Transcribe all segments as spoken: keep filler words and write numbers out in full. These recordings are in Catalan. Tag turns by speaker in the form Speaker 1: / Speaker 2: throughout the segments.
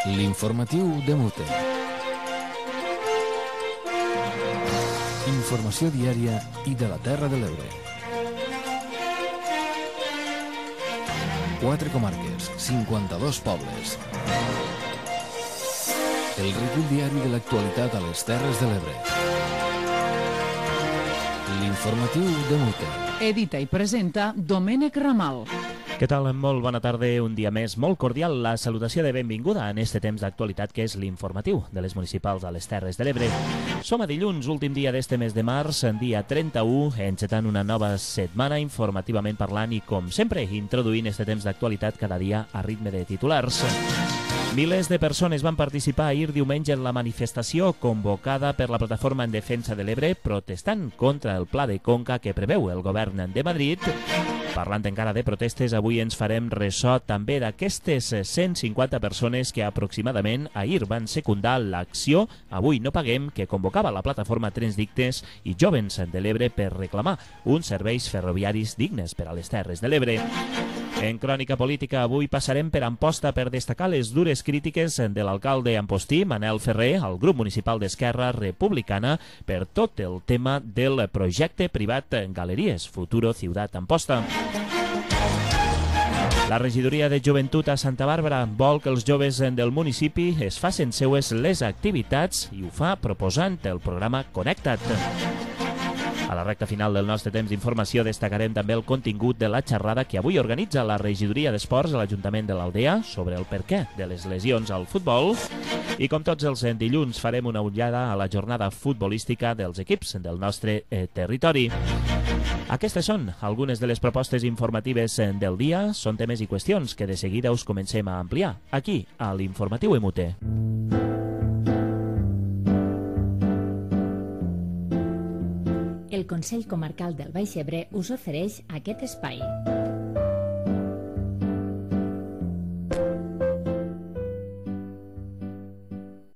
Speaker 1: L'informatiu de Mute. Informació diària i de la Terra de l'Ebre. Quatre comarques, cinquanta-dos pobles. El recull diari de l'actualitat a les Terres de l'Ebre. L'informatiu de Mute.
Speaker 2: Edita i presenta Domènec Ramal.
Speaker 3: Què tal? Molt bona tarda, un dia més. Molt cordial la salutació de benvinguda en este temps d'actualitat que és l'informatiu de les municipals a les Terres de l'Ebre. Som a dilluns, últim dia d'este mes de març, en dia trenta-u, encetant una nova setmana informativament parlant i, com sempre, introduint este temps d'actualitat cada dia a ritme de titulars. Milers de persones van participar ahir diumenge en la manifestació convocada per la Plataforma en Defensa de l'Ebre protestant contra el pla de conca que preveu el govern de Madrid. Parlant encara de protestes, avui ens farem ressò també d'aquestes cent cinquanta persones que aproximadament ahir van secundar l'acció Avui no paguem, que convocava la plataforma Trens Dignes i Jóvens de l'Ebre per reclamar uns serveis ferroviaris dignes per a les Terres de l'Ebre. En crònica política, avui passarem per Amposta per destacar les dures crítiques de l'alcalde ampostí, Manel Ferrer, al grup municipal d'Esquerra Republicana per tot el tema del projecte privat Galeries Futuro Ciutat Amposta. La regidoria de Joventut a Santa Bàrbara vol que els joves del municipi es facin seues les activitats i ho fa proposant el programa Connecta't. A la recta final del nostre temps d'informació destacarem també el contingut de la xerrada que avui organitza la regidoria d'Esports a l'Ajuntament de l'Aldea sobre el perquè de les lesions al futbol. I com tots els dilluns farem una ullada a la jornada futbolística dels equips del nostre eh, territori. Aquestes són algunes de les propostes informatives del dia. Són temes i qüestions que de seguida us comencem a ampliar aquí a l'Informatiu M U T.
Speaker 4: El Consell Comarcal del Baix Ebre us ofereix aquest espai.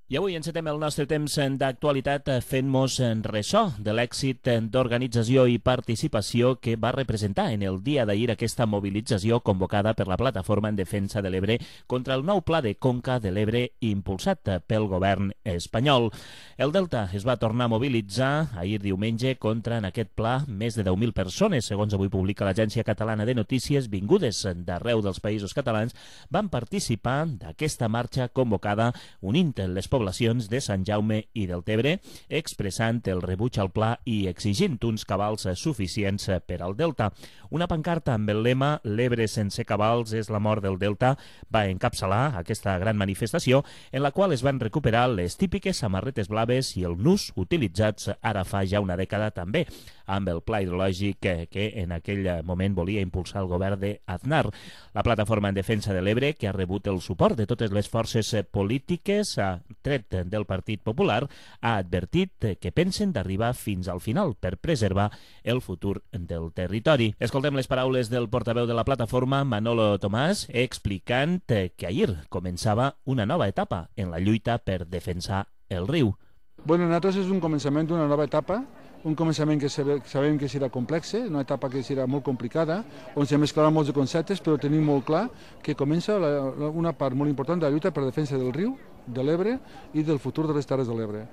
Speaker 3: I avui encetem el nostre temps d'actualitat fent-nos ressò de l'èxit d'organització i participació que va representar en el dia d'ahir aquesta mobilització convocada per la Plataforma en Defensa de l'Ebre contra el nou pla de conca de l'Ebre impulsat pel govern espanyol. El Delta es va tornar a mobilitzar ahir diumenge contra en aquest pla més de deu mil persones, segons avui publica l'Agència Catalana de Notícies, vingudes d'arreu dels països catalans, van participar d'aquesta marxa convocada unint les poblacions de Sant Jaume i del Tebre, expressant el rebuig al pla i exigint uns cabals suficients per al Delta. Una pancarta amb el lema "L'Ebre sense cabals és la mort del Delta" va encapçalar aquesta gran manifestació en la qual es van recuperar les típiques samarretes blaves i el nus utilitzats ara fa ja una dècada també, amb el pla hidrològic que, que en aquell moment volia impulsar el govern d'Aznar. La Plataforma en Defensa de l'Ebre, que ha rebut el suport de totes les forces polítiques, ha tret del Partit Popular, ha advertit que pensen d'arribar fins al final per preservar el futur del territori. Escoltem les paraules del portaveu de la plataforma, Manolo Tomàs, explicant que ahir començava una nova etapa en la lluita per defensar el riu.
Speaker 5: Bueno, nosaltres és un començament d'una nova etapa, un començament que sabem que serà complex, una etapa que serà molt complicada, on se mesclaran molts de conceptes, però tenim molt clar que comença una part molt important de la lluita per la defensa del riu, de l'Ebre i del futur de les Terres de l'Ebre.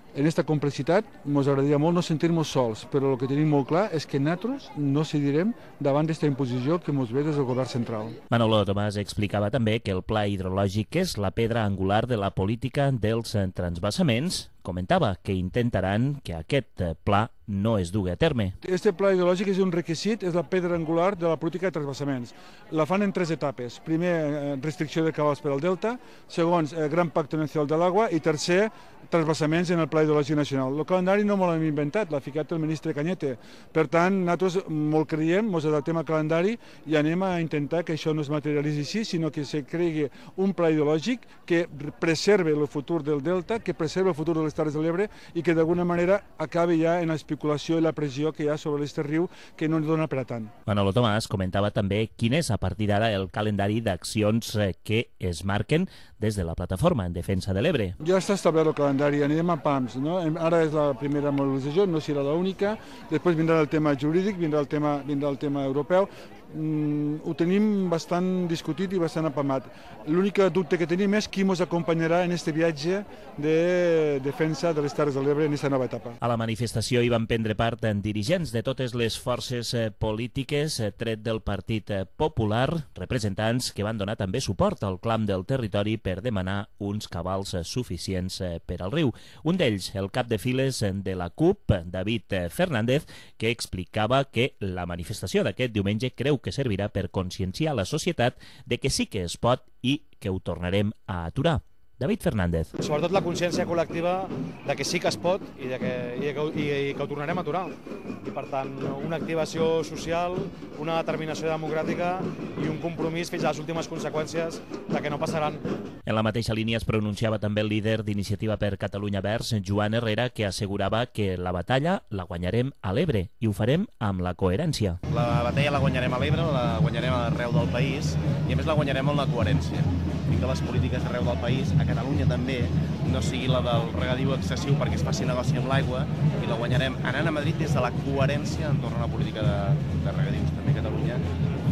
Speaker 5: En aquesta complexitat ens agradaria molt no sentir-nos sols, però el que tenim molt clar és que nosaltres no cedirem davant d'aquesta imposició que ens ve des del govern central.
Speaker 3: Manolo Tomàs explicava també que el pla hidrològic és la pedra angular de la política dels transvasaments. Comentava que intentaran que aquest pla no es dugui a terme.
Speaker 5: Este pla hidrològic és un requisit, és la pedra angular de la política de transvasaments. La fan en tres etapes. Primer, restricció de cabals per al Delta. Segon, Gran Pacte Nacional de l'Aigua. I tercer, transvasaments en el pla hidrològic nacional. El calendari no m'ho hem inventat, l'ha ficat el ministre Cañete. Per tant, nosaltres molt creiem, ens adaptem al calendari i anem a intentar que això no es materialitzi així, sinó que se cregui un pla hidrològic que preserve el futur del Delta, que preserve el futur de les Terres de l'Ebre i que d'alguna manera acabi ja en l'especulació i la pressió que hi ha sobre aquest riu que no ens dona per a tant.
Speaker 3: Manolo Tomàs comentava també quin és a partir d'ara el calendari d'accions que es marquen des de la Plataforma en Defensa de l'Ebre.
Speaker 5: Ja està establert el calendari, anirem a pams, no? Ara és la primera mobilització, no serà l'única, després vindrà el tema jurídic, vindrà el tema, vindrà el tema europeu, mm, ho tenim bastant discutit i bastant apamat. L'únic dubte que tenim és qui ens acompanyarà en aquest viatge de defensa de les Terres de l'Ebre en aquesta nova etapa.
Speaker 3: A la manifestació hi van prendre part en dirigents de totes les forces polítiques, tret del Partit Popular, representants que van donar també suport al clam del territori per demanar uns cabals suficients per al riu. Un d'ells, el cap de files de la C U P, David Fernández, que explicava que la manifestació d'aquest diumenge creu que servirà per conscienciar la societat de que sí que es pot i que ho tornarem a aturar. David Fernández.
Speaker 6: Sobretot la consciència col·lectiva de que sí que es pot i, de que, i, que, i, i que ho tornarem a aturar. I per tant, una activació social, una determinació democràtica i un compromís fins a les últimes conseqüències de que no passaran.
Speaker 3: En la mateixa línia es pronunciava també el líder d'Iniciativa per Catalunya Verds, Joan Herrera, que assegurava que la batalla la guanyarem a l'Ebre i ho farem amb la coherència.
Speaker 7: La batalla la guanyarem a l'Ebre, la guanyarem arreu del país i a més la guanyarem amb la coherència. I que les polítiques arreu del país, a Catalunya també, no sigui la del regadiu excessiu perquè es faci negoci amb l'aigua, i la guanyarem anant a Madrid des de la coherència entorn a la política de, de regadius també a Catalunya,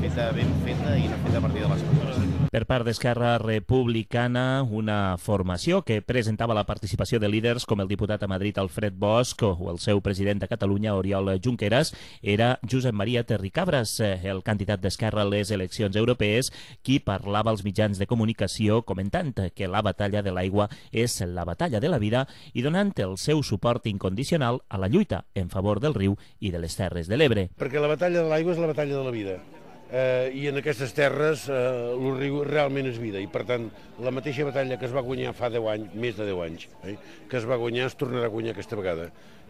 Speaker 7: feta, ben feta i no feta a partir de les coses.
Speaker 3: Per part d'Esquerra Republicana, una formació que presentava la participació de líders com el diputat a Madrid Alfred Bosch o el seu president de Catalunya Oriol Junqueras era Josep Maria Terricabras, el candidat d'Esquerra a les eleccions europees, qui parlava als mitjans de comunicació comentant que la batalla de l'aigua és la batalla de la vida i donant el seu suport incondicional a la lluita en favor del riu i de les Terres de l'Ebre.
Speaker 8: Perquè la batalla de l'aigua és la batalla de la vida. Eh, i en aquestes terres eh, el riu realment és vida i per tant la mateixa batalla que es va guanyar fa deu anys, més de deu anys, eh, que es va guanyar es tornarà a guanyar aquesta vegada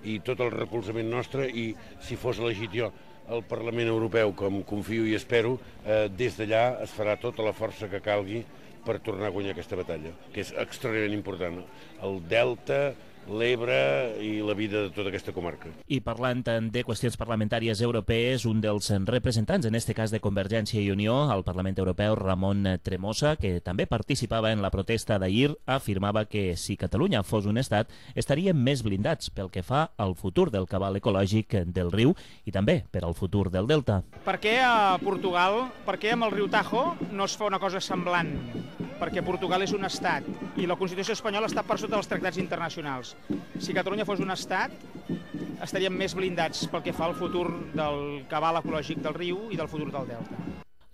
Speaker 8: i tot el recolzament nostre i si fos elegit jo al Parlament Europeu, com confio i espero, eh, des d'allà es farà tota la força que calgui per tornar a guanyar aquesta batalla, que és extraordinàriament important. El delta, l'Ebre i la vida de tota aquesta comarca.
Speaker 3: I parlant de qüestions parlamentàries europees, un dels representants, en este cas de Convergència i Unió, al Parlament Europeu, Ramon Tremosa, que també participava en la protesta d'ahir, afirmava que si Catalunya fos un estat, estaríem més blindats pel que fa al futur del cabal ecològic del riu i també per al futur del delta.
Speaker 9: Per què a Portugal, per què amb el riu Tajo no es fa una cosa semblant? Perquè Portugal és un estat i la Constitució espanyola està per sota dels tractats internacionals. Si Catalunya fos un estat, estaríem més blindats pel que fa al futur del cabal ecològic del riu i del futur del delta.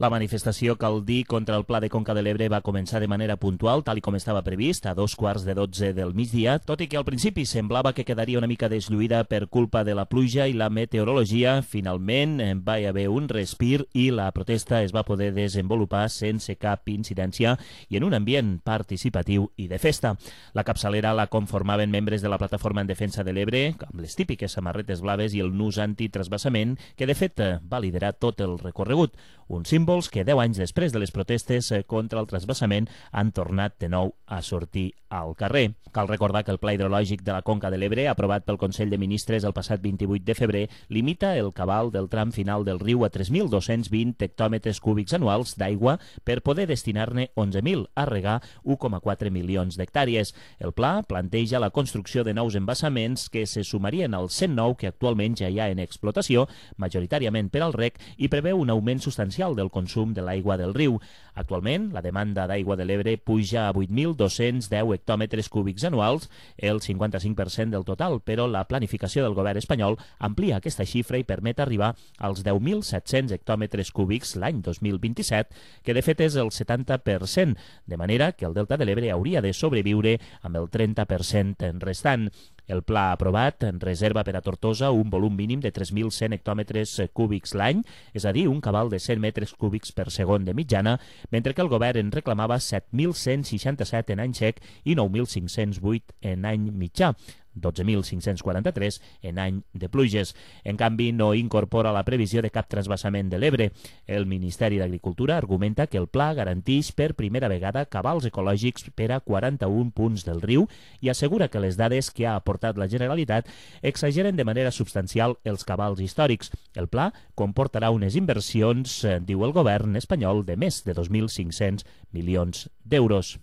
Speaker 3: La manifestació, cal dir, contra el Pla de Conca de l'Ebre va començar de manera puntual, tal com estava previst, a dos quarts de dotze del migdia, tot i que al principi semblava que quedaria una mica deslluïda per culpa de la pluja i la meteorologia. Finalment va haver un respir i la protesta es va poder desenvolupar sense cap incidència i en un ambient participatiu i de festa. La capçalera la conformaven membres de la Plataforma en Defensa de l'Ebre, amb les típiques samarretes blaves i el nus antitrasbassament, que de fet va liderar tot el recorregut. Un símbol que deu anys després de les protestes contra el transvasament han tornat de nou a sortir al carrer. Cal recordar que el Pla Hidrològic de la Conca de l'Ebre, aprovat pel Consell de Ministres el passat vint-i-vuit de febrer, limita el cabal del tram final del riu a tres mil dos-cents vint hectòmetres cúbics anuals d'aigua per poder destinar-ne onze mil a regar un coma quatre milions d'hectàrees. El pla planteja la construcció de nous embassaments que se sumarien als cent nou que actualment ja hi ha en explotació, majoritàriament per al reg, i preveu un augment substancial del consum de l'aigua del riu. Actualment, la demanda d'aigua de l'Ebre puja a vuit mil dos-cents deu hectòmetres cúbics anuals, el cinquanta-cinc per cent del total, però la planificació del govern espanyol amplia aquesta xifra i permet arribar als deu mil set-cents hectòmetres cúbics l'any dos mil vint-i-set, que de fet és el setanta per cent, de manera que el delta de l'Ebre hauria de sobreviure amb el trenta per cent restant. El pla aprovat reserva per a Tortosa un volum mínim de tres mil cent hectòmetres cúbics l'any, és a dir, un cabal de cent metres cúbics per segon de mitjana, mentre que el govern en reclamava set mil cent seixanta-set en any sec i nou mil cinc-cents vuit en any mitjà, dotze mil cinc-cents quaranta-tres en any de pluges. En canvi, no incorpora la previsió de cap transvasament de l'Ebre. El Ministeri d'Agricultura argumenta que el pla garanteix per primera vegada cabals ecològics per a quaranta-un punts del riu i assegura que les dades que ha aportat la Generalitat exageren de manera substancial els cabals històrics. El pla comportarà unes inversions, diu el govern espanyol, de més de dos mil cinc-cents milions d'euros.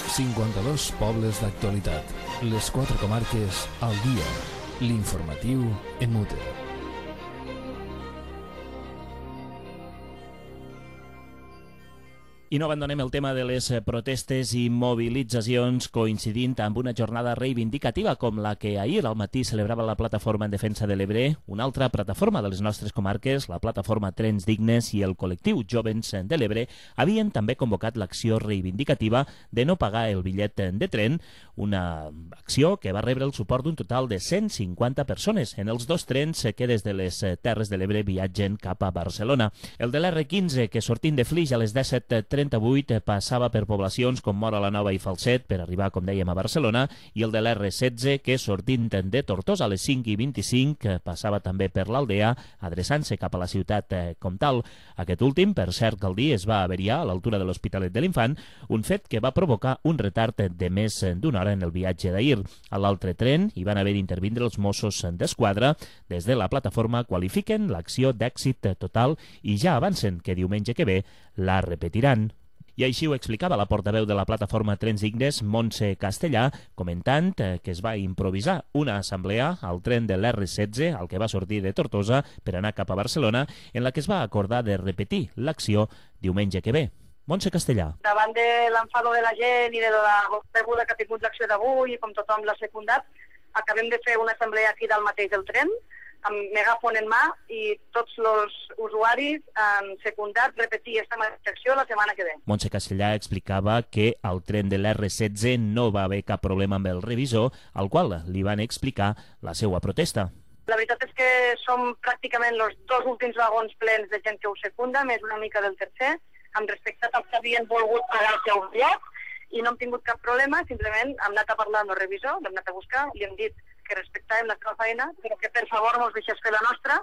Speaker 1: cinquanta-dos pobles d'actualitat. Les quatre comarques al dia. L'informatiu en Mute.
Speaker 3: I no abandonem el tema de les protestes i mobilitzacions coincidint amb una jornada reivindicativa com la que ahir al matí celebrava la Plataforma en Defensa de l'Ebre, una altra plataforma de les nostres comarques, la Plataforma Trens Dignes i el col·lectiu Jovens de l'Ebre, havien també convocat l'acció reivindicativa de no pagar el bitllet de tren, una acció que va rebre el suport d'un total de cent cinquanta persones en els dos trens que des de les Terres de l'Ebre viatgen cap a Barcelona. El de l'erre quinze, que sortint de Flix a les disset trenta-vuit passava per poblacions com Móra la Nova i Falset per arribar, com dèiem, a Barcelona, i el de l'erre setze, que sortint de Tortosa a les cinc i vint-i-cinc passava també per l'Aldea, adreçant-se cap a la ciutat com tal. Aquest últim, per cert, cal dir, es va averiar a l'altura de l'Hospitalet de l'Infant, un fet que va provocar un retard de més d'una hora en el viatge d'ahir. A l'altre tren hi van haver d'intervindre els Mossos d'Esquadra. Des de la plataforma qualifiquen l'acció d'èxit total i ja avancen que diumenge que ve la repetiran. I així ho explicava la portaveu de la plataforma Trens Dignes, Montse Castellà, comentant que es va improvisar una assemblea al tren de l'erre setze, el que va sortir de Tortosa per anar cap a Barcelona, en la que es va acordar de repetir l'acció diumenge que ve. Montse Castellà.
Speaker 10: Davant de l'enfado de la gent i de la rebuda que ha tingut l'acció d'avui, i com tothom l'ha secundat, acabem de fer una assemblea aquí dalt mateix del tren, amb megàfon en mà, i tots els usuaris han secundat repetir aquesta mateixa acció la setmana que ve.
Speaker 3: Montse Castellà explicava que al tren de l'erre setze no va haver cap problema amb el revisor, al qual li van explicar la seva protesta.
Speaker 10: La veritat és que som pràcticament els dos últims vagons plens de gent que ho secunda, més una mica del tercer, amb respecte als que havien volgut pagar el seu bitllet, i no hem tingut cap problema, simplement hem anat a parlar amb el revisor, l'hem anat a buscar, i hem dit que respectàvem la seva feina, però que per favor mos deixés fer la nostra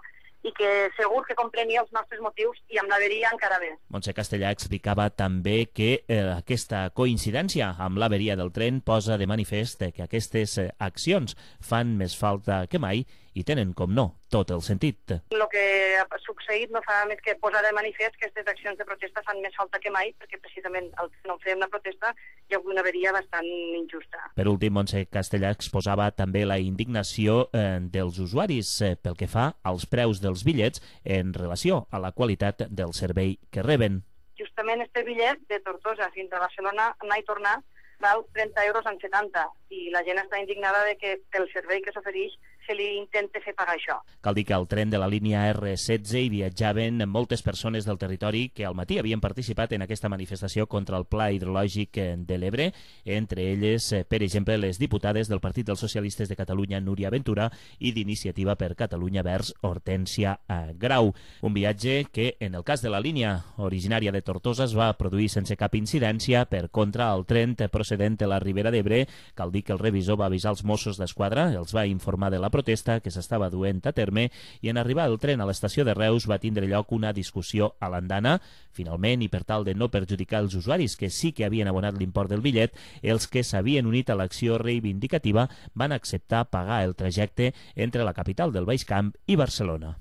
Speaker 10: i que segur que comprenia els nostres motius i amb l'averia encara més.
Speaker 3: Montse Castellà explicava també que eh, aquesta coincidència amb l'averia del tren posa de manifest que aquestes eh, accions fan més falta que mai i tenen, com no, tot el sentit.
Speaker 10: El que ha succeït no fa més que posar de manifest que aquestes accions de protesta fan més falta que mai, perquè precisament al no fer una protesta hi ha una averia bastant injusta.
Speaker 3: Per últim, Montse Castellà exposava també la indignació eh, dels usuaris eh, pel que fa als preus dels bitllets en relació a la qualitat del servei que reben.
Speaker 10: Justament este bitllet de Tortosa fins a Barcelona, anar i tornar, val trenta euros en setanta, i la gent està indignada de que pel servei que s'ofereix se li intenta fer pagar això.
Speaker 3: Cal dir que al tren de la línia erre setze hi viatjaven moltes persones del territori que al matí havien participat en aquesta manifestació contra el Pla Hidrològic de l'Ebre, entre elles, per exemple, les diputades del Partit dels Socialistes de Catalunya, Núria Ventura, i d'Iniciativa per Catalunya Verds, Hortènsia Grau. Un viatge que, en el cas de la línia originària de Tortosa, es va produir sense cap incidència. Per contra, el tren procedent de la Ribera d'Ebre, cal dir que el revisor va avisar els Mossos d'Esquadra, els va informar de la protesta que s'estava duent a terme, i en arribar el tren a l'estació de Reus va tindre lloc una discussió a l'andana. Finalment, i per tal de no perjudicar els usuaris que sí que havien abonat l'import del bitllet, els que s'havien unit a l'acció reivindicativa van acceptar pagar el trajecte entre la capital del Baix Camp i Barcelona.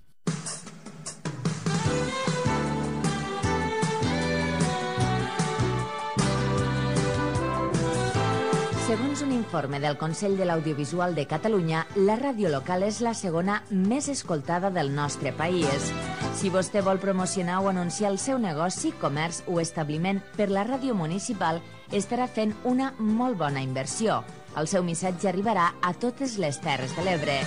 Speaker 11: Segons un informe del Consell de l'Audiovisual de Catalunya, la ràdio local és la segona més escoltada del nostre país. Si vostè vol promocionar o anunciar el seu negoci, comerç o establiment per la ràdio municipal, estarà fent una molt bona inversió. El seu missatge arribarà a totes les Terres de l'Ebre.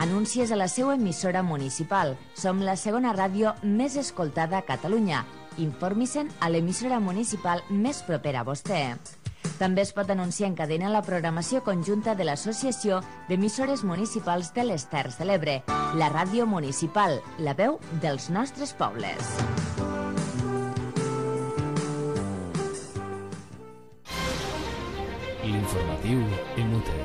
Speaker 11: Anuncies a la seva emissora municipal. Som la segona ràdio més escoltada a Catalunya. Informi-se'n a l'emissora municipal més propera a vostè. També es pot anunciar en cadena la programació conjunta de l'Associació d'Emissores Municipals de les Terres de l'Ebre, la ràdio municipal, la veu dels nostres pobles.
Speaker 1: L'informatiu Inútil.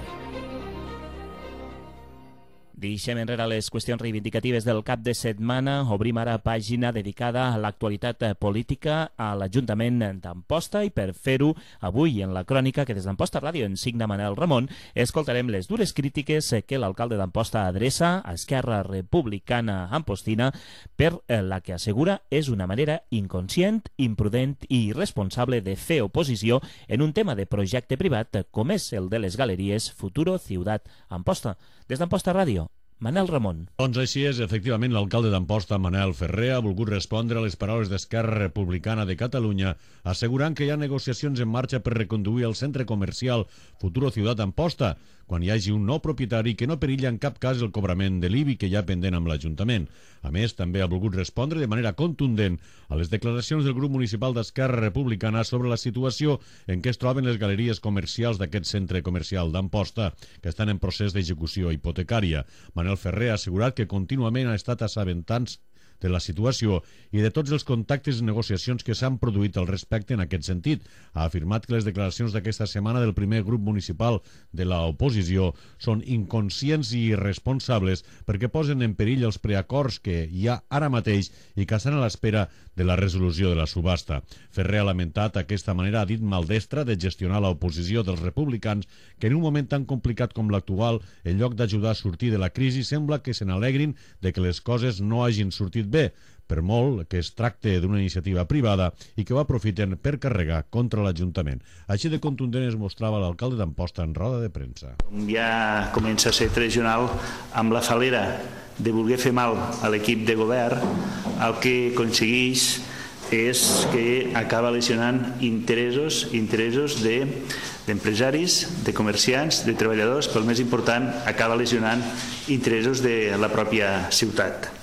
Speaker 3: Deixem enrere les qüestions reivindicatives del cap de setmana. Obrim ara pàgina dedicada a l'actualitat política a l'Ajuntament d'Amposta, i per fer-ho avui en la crònica que des d'Amposta Ràdio en signa Manel Ramon escoltarem les dures crítiques que l'alcalde d'Amposta adreça a Esquerra Republicana Ampostina per la que assegura és una manera inconscient, imprudent i irresponsable de fer oposició en un tema de projecte privat com és el de les galeries Futuro Ciutat Amposta. Des d'Amposta Ràdio, Manel Ramon.
Speaker 12: Doncs així és, efectivament, l'alcalde d'Amposta, Manel Ferrer, ha volgut respondre a les paraules d'Esquerra Republicana de Catalunya, assegurant que hi ha negociacions en marxa per reconduir el centre comercial Futuro Ciutat Amposta, quan hi hagi un nou propietari que no perilla en cap cas el cobrament de l'I B I que hi ha pendent amb l'Ajuntament. A més, també ha volgut respondre de manera contundent a les declaracions del grup municipal d'Esquerra Republicana sobre la situació en què es troben les galeries comercials d'aquest centre comercial d'Amposta, que estan en procés d'execució hipotecària. Manel Ferrer ha assegurat que contínuament ha estat assabentant de la situació i de tots els contactes i negociacions que s'han produït al respecte en aquest sentit. Ha afirmat que les declaracions d'aquesta setmana del primer grup municipal de l'oposició són inconscients i irresponsables perquè posen en perill els preacords que hi ha ara mateix i que estan a l'espera de la resolució de la subhasta. Ferrer ha lamentat aquesta manera, ha dit, maldestra de gestionar l'oposició dels republicans, que en un moment tan complicat com l'actual, en lloc d'ajudar a sortir de la crisi, sembla que se n'alegrin de que les coses no hagin sortit bé, per molt que es tracte d'una iniciativa privada i que ho aprofiten per carregar contra l'Ajuntament. Així de contundent es mostrava l'alcalde d'Amposta en roda de premsa.
Speaker 13: Ja comença a ser tradicional amb la falera de voler fer mal a l'equip de govern, el que aconsegueix és que acaba lesionant interessos, interessos de, d'empresaris, de comerciants, de treballadors, però el més important, acaba lesionant interessos de la pròpia ciutat.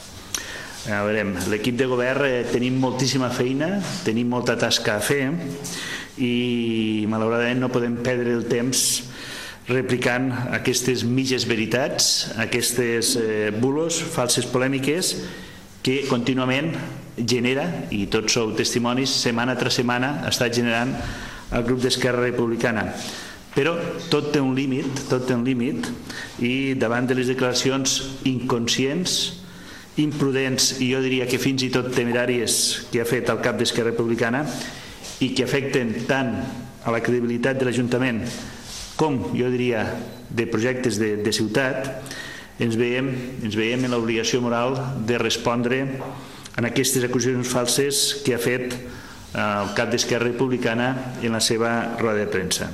Speaker 13: A veure, l'equip de govern eh, tenim moltíssima feina, tenim molta tasca a fer i malauradament no podem perdre el temps replicant aquestes mitges veritats, aquestes eh, bulos, falses polèmiques que contínuament genera, i tots sou testimonis, setmana tras setmana està generant el grup d'Esquerra Republicana. Però tot té un límit, tot té un límit, i davant de les declaracions inconscients, imprudents i jo diria que fins i tot temeràries que ha fet el cap d'Esquerra Republicana i que afecten tant a la credibilitat de l'Ajuntament com, jo diria, de projectes de, de ciutat, ens veiem, ens veiem en l'obligació moral de respondre en aquestes acusacions falses que ha fet el cap d'Esquerra Republicana en la seva roda de premsa.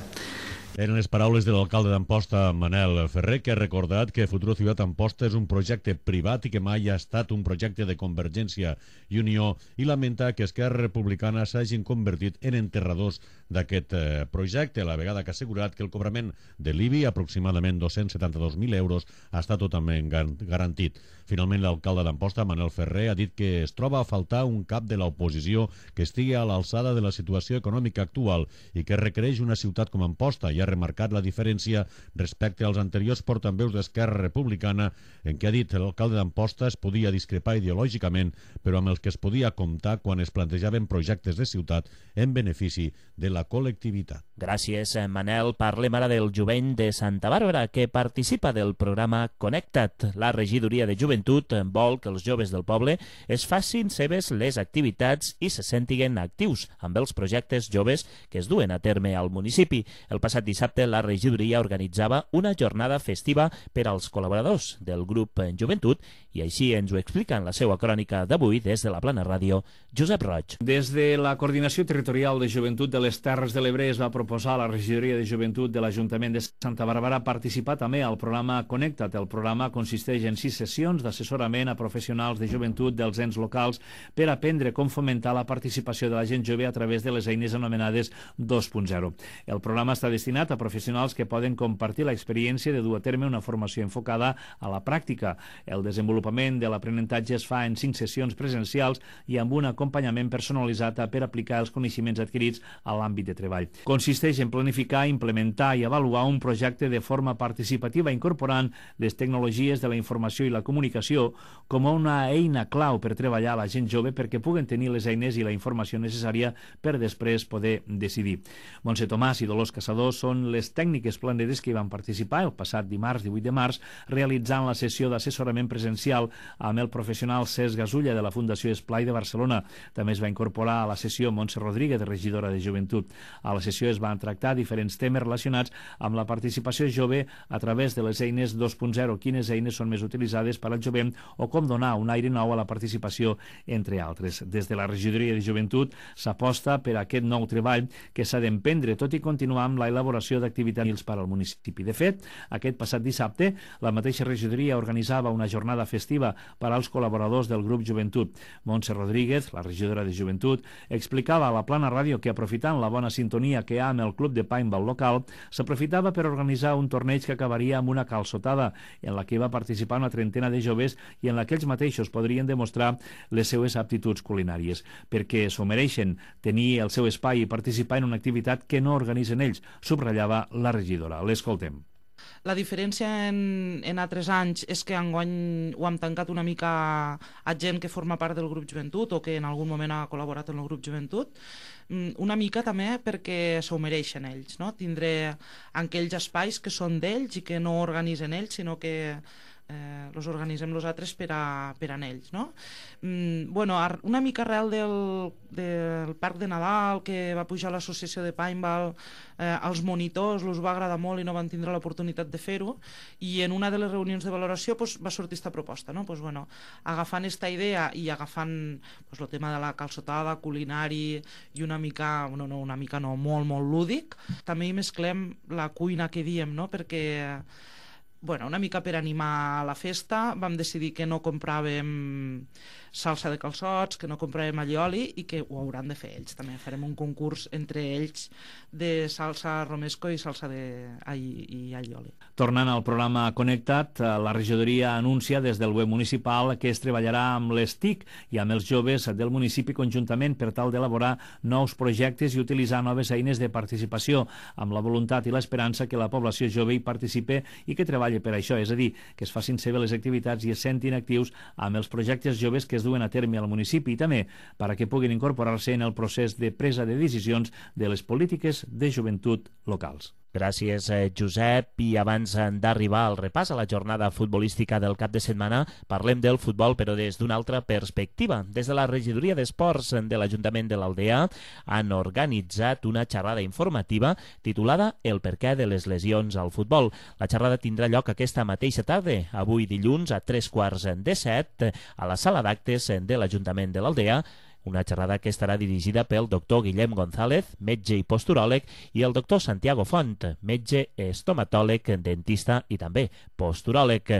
Speaker 12: Eren les paraules de l'alcalde d'Amposta, Manel Ferrer, que ha recordat que Futuro Ciutat Amposta és un projecte privat i que mai ha estat un projecte de Convergència i Unió, i lamenta que Esquerra Republicana s'hagin convertit en enterradors d'aquest eh, projecte, a la vegada que ha assegurat que el cobrament de l'I B I, aproximadament dos-cents setanta-dos mil euros, està totalment garantit. Finalment, l'alcalde d'Amposta, Manel Ferrer, ha dit que es troba a faltar un cap de l'oposició que estigui a l'alçada de la situació econòmica actual i que requereix una ciutat com Amposta, i ha remarcat la diferència respecte als anteriors portaveus d'Esquerra Republicana, en què ha dit que l'alcalde d'Amposta es podia discrepar ideològicament, però amb els que es podia comptar quan es plantejaven projectes de ciutat en benefici de la col·lectivitat.
Speaker 3: Gràcies, Manel. Parlem ara del jovent de Santa Bàrbara, que participa del programa Connecta't. La regidoria de joventut vol que els joves del poble es facin seves les activitats i se sentiguen actius amb els projectes joves que es duen a terme al municipi. El passat dissabte la regidoria organitzava una jornada festiva per als col·laboradors del grup Joventut i així ens ho explica en la seva crònica d'avui des de la Plana Ràdio, Josep Roig.
Speaker 14: Des de la Coordinació Territorial de Joventut de les Terres de l'Ebre es va proposar a la regidoria de joventut de l'Ajuntament de Santa Bàrbara participar també al programa Connecta't. El programa consisteix en sis sessions d'assessorament a professionals de joventut dels ens locals per aprendre com fomentar la participació de la gent jove a través de les eines anomenades dos punt zero. El programa està destinat a professionals que poden compartir l'experiència de dur a terme una formació enfocada a la pràctica. El desenvolupament de l'aprenentatge es fa en cinc sessions presencials i amb un acompanyament personalitzat per aplicar els coneixements adquirits a l'àmbit de treball. Consisteix en planificar, implementar i avaluar un projecte de forma participativa incorporant les tecnologies de la informació i la comunicació com una eina clau per treballar a la gent jove perquè puguen tenir les eines i la informació necessària per després poder decidir. Montse Tomàs i Dolors Caçador són les tècniques planeres que hi van participar el passat dimarts divuit de març realitzant la sessió d'assessorament presencial amb el professional Cesc Gasulla de la Fundació Esplai de Barcelona. També es va incorporar a la sessió Montse Rodríguez, regidora de Joventut. A la sessió es van tractar diferents temes relacionats amb la participació jove a través de les eines dos punt zero, quines eines són més utilitzades per al jovent o com donar un aire nou a la participació, entre altres. Des de la regidoria de Joventut s'aposta per aquest nou treball que s'ha d'emprendre, tot i continuar amb la elaboració reactivació d'activitats per al municipi. De fet, aquest passat dissabte, la mateixa regidoria organitzava una jornada festiva per als col·laboradors del grup Joventut. Montse Rodríguez, la regidora de Joventut, explicava a la Plana Ràdio que, aprofitant la bona sintonia que hi ha amb el club de paintball local, s'aprofitava per organitzar un torneig que acabaria amb una calçotada, en la que va participar una trentena de joves i en la que ells mateixos podrien demostrar les seues aptituds culinàries, perquè s'ho mereixen tenir el seu espai i participar en una activitat que no organitzen ells, subratllava la regidora. L'escoltem.
Speaker 15: La diferència en, en altres anys és que enguany ho hem tancat una mica a gent que forma part del grup Joventut o que en algun moment ha col·laborat en el grup Joventut, una mica també perquè s'ho mereixen ells, no? Tindre aquells espais que són d'ells i que no organitzen ells, sinó que eh, els organitzem nosaltres per a, per a ells, no? Mm, bueno, una mica arrel del, del Parc de Nadal, que va pujar l'associació de paintball, eh, als monitors els va agradar molt i no van tindre l'oportunitat de fer-ho, i en una de les reunions de valoració pues, va sortir aquesta proposta, no? Pues, bueno, agafant aquesta idea i agafant pues, el tema de la calçotada, culinari i una mica, no, no, una mica no, molt, molt lúdic, també hi mesclem la cuina que diem, no? Perquè bueno, una mica per animar la festa vam decidir que no compràvem salsa de calçots, que no compràvem allioli i que ho hauran de fer ells. També farem un concurs entre ells de salsa romesco i salsa de i, i allioli.
Speaker 14: Tornant al programa Connectat, la regidoria anuncia des del web municipal que es treballarà amb les T I C i amb els joves del municipi conjuntament per tal d'elaborar nous projectes i utilitzar noves eines de participació, amb la voluntat i l'esperança que la població jove hi participe i que treballi per això, és a dir, que es facin seves les activitats i es sentin actius amb els projectes joves que es duen a terme al municipi i també perquè puguin incorporar-se en el procés de presa de decisions de les polítiques de joventut locals.
Speaker 3: Gràcies, Josep. I abans d'arribar al repàs a la jornada futbolística del cap de setmana, parlem del futbol, però des d'una altra perspectiva. Des de la regidoria d'Esports de l'Ajuntament de l'Aldea han organitzat una xerrada informativa titulada El perquè de les lesions al futbol. La xerrada tindrà lloc aquesta mateixa tarda, avui dilluns a tres quarts de set, a la sala d'actes de l'Ajuntament de l'Aldea, una xerrada que estarà dirigida pel doctor Guillem González, metge i posturòleg, i el doctor Santiago Font, metge estomatòleg, dentista i també posturòleg.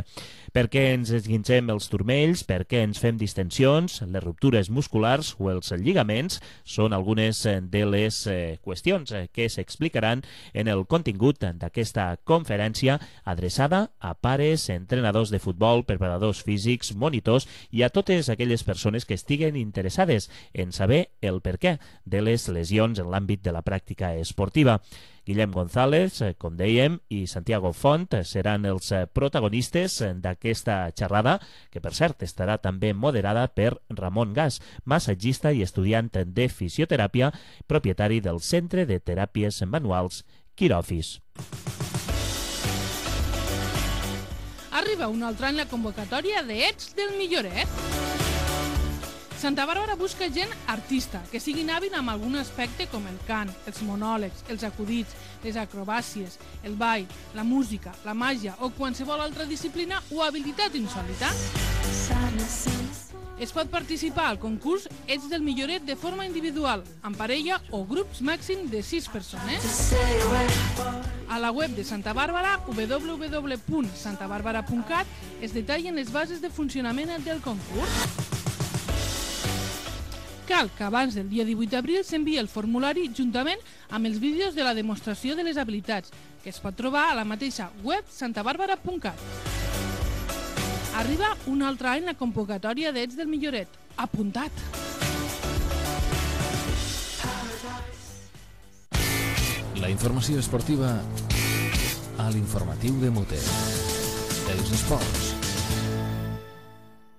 Speaker 3: Per què ens esguincem els turmells, per què ens fem distensions, les ruptures musculars o els lligaments són algunes de les qüestions que s'explicaran en el contingut d'aquesta conferència adreçada a pares, entrenadors de futbol, preparadors físics, monitors i a totes aquelles persones que estiguen interessades en saber el perquè de les lesions en l'àmbit de la pràctica esportiva. Guillem González, com dèiem, i Santiago Font seran els protagonistes d'aquesta xerrada, que per cert estarà també moderada per Ramon Gas, massatgista i estudiant de fisioteràpia, propietari del Centre de Teràpies Manuals Quirofis.
Speaker 16: Arriba un altre any la convocatòria de Ets del Milloret. Santa Bàrbara busca gent artista, que siguin hàbil amb algun aspecte com el cant, els monòlegs, els acudits, les acrobàcies, el ball, la música, la màgia o qualsevol altra disciplina o habilitat insòlita. Es pot participar al concurs Ets del Milloret de forma individual, en parella o grups màxim de sis persones. A la web de Santa Bàrbara, w w w punt santa bàrbara punt cat, es detallen les bases de funcionament del concurs. Cal que abans del dia divuit d'abril s'enviï el formulari juntament amb els vídeos de la demostració de les habilitats, que es pot trobar a la mateixa web santa bàrbara punt cat. Arriba un altre any la convocatòria d'Ets del Milloret. Apuntat!
Speaker 1: La informació esportiva a l'informatiu de Mote. Els esports.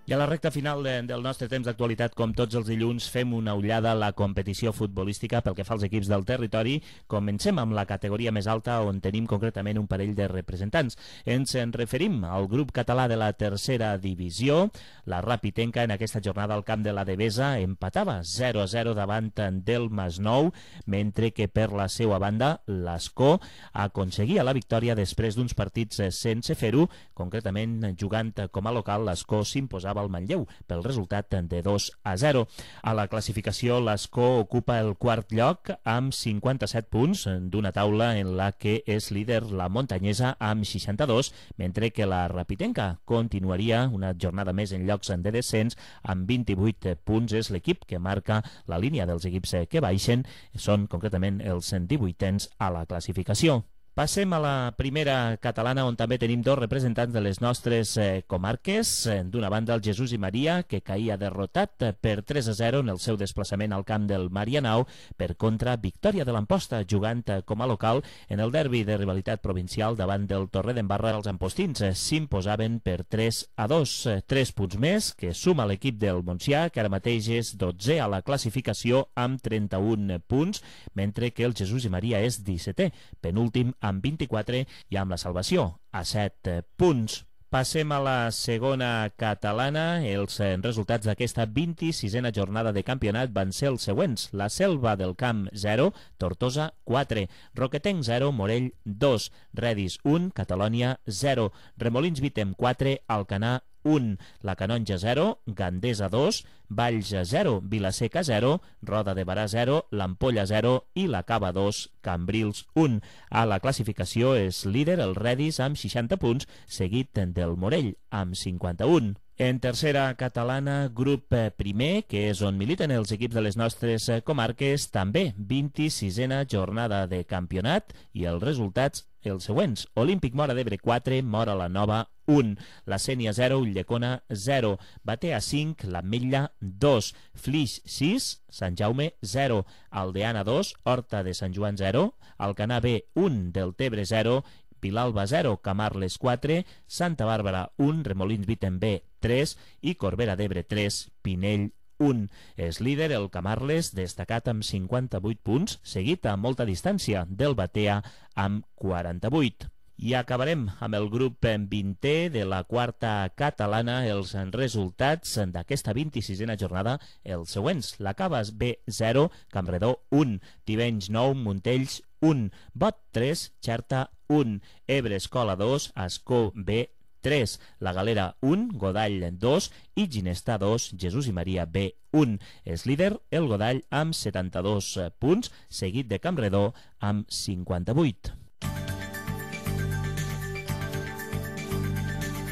Speaker 3: I a la recta final de, del nostre temps d'actualitat, com tots els dilluns, fem una ullada a la competició futbolística pel que fa als equips del territori. Comencem amb la categoria més alta, on tenim concretament un parell de representants. Ens en referim al grup català de la tercera divisió. La Rapitenca en aquesta jornada al camp de la Devesa empatava zero a zero davant del Masnou, mentre que per la seva banda l'Escó aconseguia la victòria després d'uns partits sense fer-ho. Concretament, jugant com a local, l'Escó s'imposava al Manlleu pel resultat de dos a zero. A la classificació, l'Escó ocupa el quart lloc amb cinquanta-set punts d'una taula en la que és líder la Montanyesa amb seixanta-dos, mentre que la Rapitenca continuaria una jornada més en llocs de descens amb vint-i-vuit punts. És l'equip que marca la línia dels equips que baixen, són concretament els divuitens a la classificació. Passem a la primera catalana, on també tenim dos representants de les nostres eh, comarques. D'una banda, el Jesús i Maria, que caïa derrotat per tres a zero en el seu desplaçament al camp del Marianao. Per contra, victòria de l'Amposta, jugant com a local en el derbi de rivalitat provincial davant del Torredembarra. Els ampostins s'imposaven per tres a dos. Tres punts més que suma l'equip del Montsià, que ara mateix és dotzè a la classificació amb trenta-un punts, mentre que el Jesús i Maria és dissetè, penúltim amb vint-i-quatre i amb la salvació a set punts. Passem a la segona catalana. Els resultats d'aquesta vint-i-sisena jornada de campionat van ser els següents. La Selva del Camp zero, Tortosa quatre, Roquetenc zero, Morell dos, Redis un, Catalònia zero, Remolins Vitem quatre, Alcanar un, La Canonja zero, Gandesa dos, Valls zero, Vilaseca zero, Roda de Barà zero, l'Ampolla zero i la Cava dos, Cambrils un. A la classificació és líder el Redis amb seixanta punts, seguit del Morell amb cinquanta-un. En tercera catalana, grup primer, que és on militen els equips de les nostres comarques, també vint-i-sisena jornada de campionat i els resultats els següents. Olímpic Móra d'Ebre quatre, Móra la Nova un, La Sénia zero, Ulldecona zero, Batea cinc, l'Ametlla dos, Flix sis, Sant Jaume zero, Aldeana dos, Horta de Sant Joan zero, Alcanar B un, Deltebre zero, Vilalba zero, Camarles quatre, Santa Bàrbara un, Remolins Vitem B tres i Corbera d'Ebre tres, Pinell un. És líder el Camarles, destacat amb cinquanta-vuit punts, seguit a molta distància del Batea amb quaranta-vuit. I acabarem amb el grup vintè de la quarta catalana. Els resultats d'aquesta vint-i-sisena jornada els següents. La Cava B zero, Campredó un, Tivenys nou, Montells un, Bot tres, Xerta un, Ebre Escola dos, Ascó B tres, La Galera un, Godall dos i Ginestà dos, Jesús i Maria B un. És líder el Godall amb setanta-dos punts, seguit de Campredó amb cinquanta-vuit.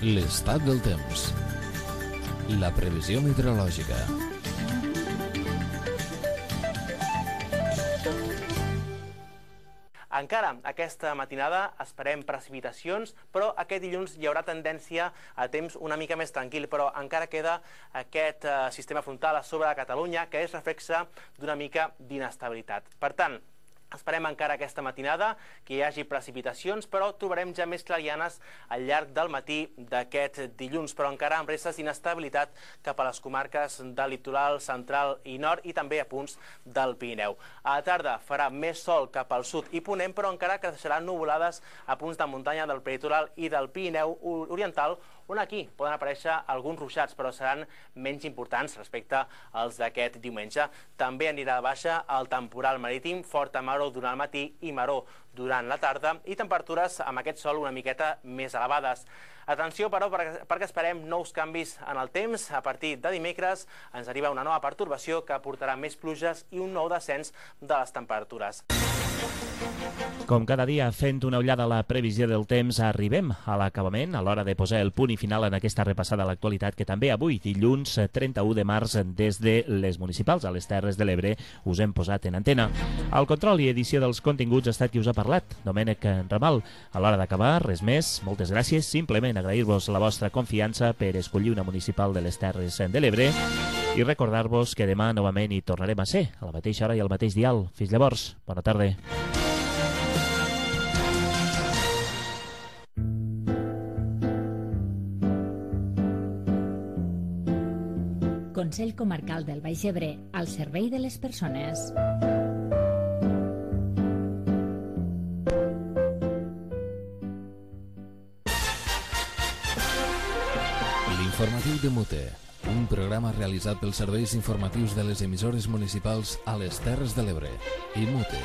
Speaker 1: L'estat del temps. La previsió meteorològica.
Speaker 17: Encara aquesta matinada esperem precipitacions, però aquest dilluns hi haurà tendència a temps una mica més tranquil, però encara queda aquest eh, sistema frontal a sobre de Catalunya que és reflexe d'una mica d'inestabilitat. Per tant, esperem encara aquesta matinada que hi hagi precipitacions, però trobarem ja més clarianes al llarg del matí d'aquest dilluns, però encara amb restes d'inestabilitat cap a les comarques del litoral central i nord i també a punts del Pirineu. A la tarda farà més sol cap al sud i ponent, però encara que deixaran nuvolades a punts de muntanya del peritoral i del Pirineu oriental, on aquí poden aparèixer alguns ruixats, però seran menys importants respecte als d'aquest diumenge. També anirà de baixa el temporal marítim, forta maror durant el matí i maror durant la tarda, i temperatures amb aquest sol una miqueta més elevades. Atenció, però, perquè esperem nous canvis en el temps. A partir de dimecres ens arriba una nova pertorbació que portarà més pluges i un nou descens de les temperatures.
Speaker 3: Com cada dia, fent una ullada a la previsió del temps, arribem a l'acabament, a l'hora de posar el punt i final en aquesta repassada a l'actualitat que també avui, dilluns trenta-u de març, des de les municipals a les Terres de l'Ebre, us hem posat en antena. Al control i edició dels continguts ha estat qui us ha parlat, Domènec Ramal. A l'hora d'acabar, res més, moltes gràcies, simplement agrair-vos la vostra confiança per escollir una municipal de les Terres de l'Ebre i recordar-vos que demà novament hi tornarem a ser, a la mateixa hora i al mateix dial. Fins llavors, bona tarda.
Speaker 4: Consell Comarcal del Baix Ebre, al servei de les persones.
Speaker 1: L'informatiu de Mute, un programa realitzat pels serveis informatius de les emissores municipals a les Terres de l'Ebre i Mute.